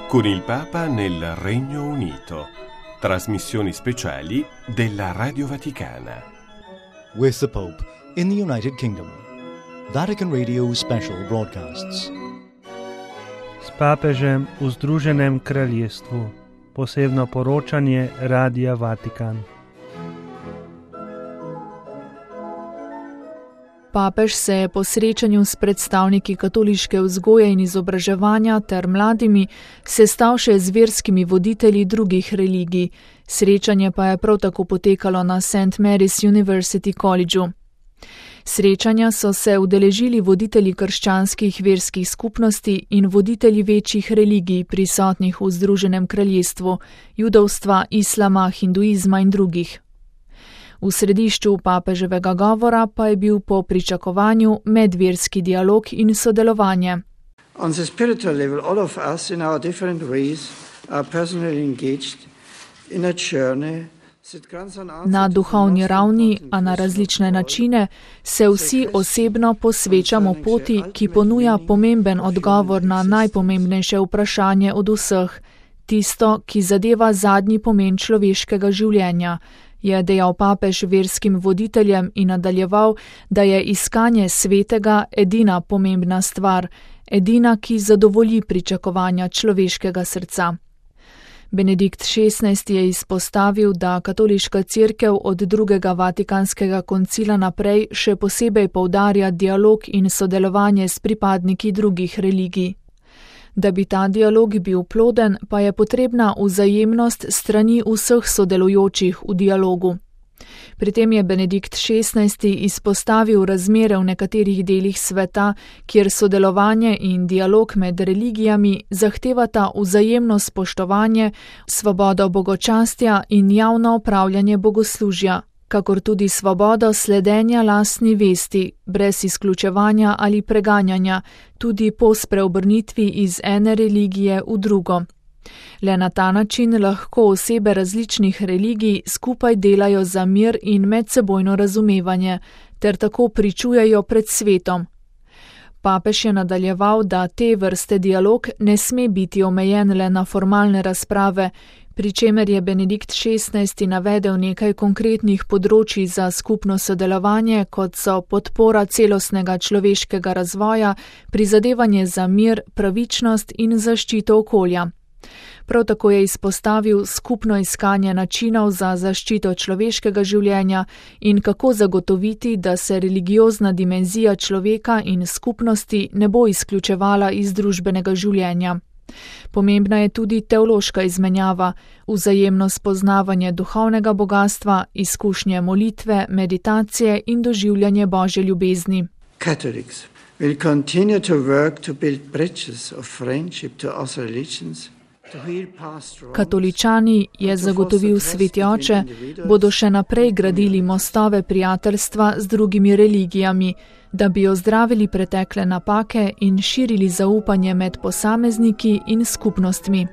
con il Papa nel Regno Unito. Trasmissioni speciali della Radio Vaticana. With the Pope in the United Kingdom. Vatican Radio special broadcasts. S papežem v Združenem kraljestvu. Posebno poročanje Radia Vatikan. Papež se je po srečanju s predstavniki katoliške vzgoje in izobraževanja ter mladimi sestal še z verskimi voditelji drugih religij. Srečanje pa je prav tako potekalo na St. Mary's University Collegeu. Srečanja so se udeležili voditelji krščanskih verskih skupnosti in voditelji večjih religij prisotnih v Združenem kraljestvu, judovstva, islama, hinduizma in drugih. V središču papeževega govora pa je bil po pričakovanju medverski dialog in sodelovanje. On the spiritual level, all of us in our different ways are personally engaged in a journey. Na duhovni ravni, a na različne načine, se vsi osebno posvečamo poti, ki ponuja pomemben odgovor na najpomembnejše vprašanje od vseh, tisto, ki zadeva zadnji pomen človeškega življenja, je dejal papež verskim voditeljem in nadaljeval, da je iskanje svetega edina pomembna stvar, edina, ki zadovolji pričakovanja človeškega srca. Benedikt XVI je izpostavil, da katoliška cerkev od drugega vatikanskega koncila naprej še posebej poudarja dialog in sodelovanje s pripadniki drugih religij. Da bi ta dialog bil ploden, pa je potrebna vzajemnost strani vseh sodelujočih v dialogu. Pri tem je Benedikt XVI izpostavil razmere v nekaterih delih sveta, kjer sodelovanje in dialog med religijami zahtevata vzajemno spoštovanje, svobodo bogočastja in javno opravljanje bogoslužja, kakor tudi svobodo sledenja lastni vesti, brez izključevanja ali preganjanja, tudi po spreobrnitvi iz ene religije v drugo. Le na ta način lahko osebe različnih religij skupaj delajo za mir in medsebojno razumevanje, ter tako pričujejo pred svetom. Papež je nadaljeval, da te vrste dialog ne sme biti omejen le na formalne razprave, pri čemer je Benedikt XVI navedel nekaj konkretnih področij za skupno sodelovanje, kot so podpora celostnega človeškega razvoja, prizadevanje za mir, pravičnost in zaščito okolja. Prav tako je izpostavil skupno iskanje načinov za zaščito človeškega življenja in kako zagotoviti, da se religiozna dimenzija človeka in skupnosti ne bo izključevala iz družbenega življenja. Pomembna je tudi teološka izmenjava, vzajemno spoznavanje duhovnega bogastva, izkušnje molitve, meditacije in doživljanje Božje ljubezni. Catholics will continue to work to build bridges of friendship to other religions. Katoličani, je zagotovil sveti oče, bodo še naprej gradili mostove prijateljstva z drugimi religijami, da bi ozdravili pretekle napake in širili zaupanje med posamezniki in skupnostmi.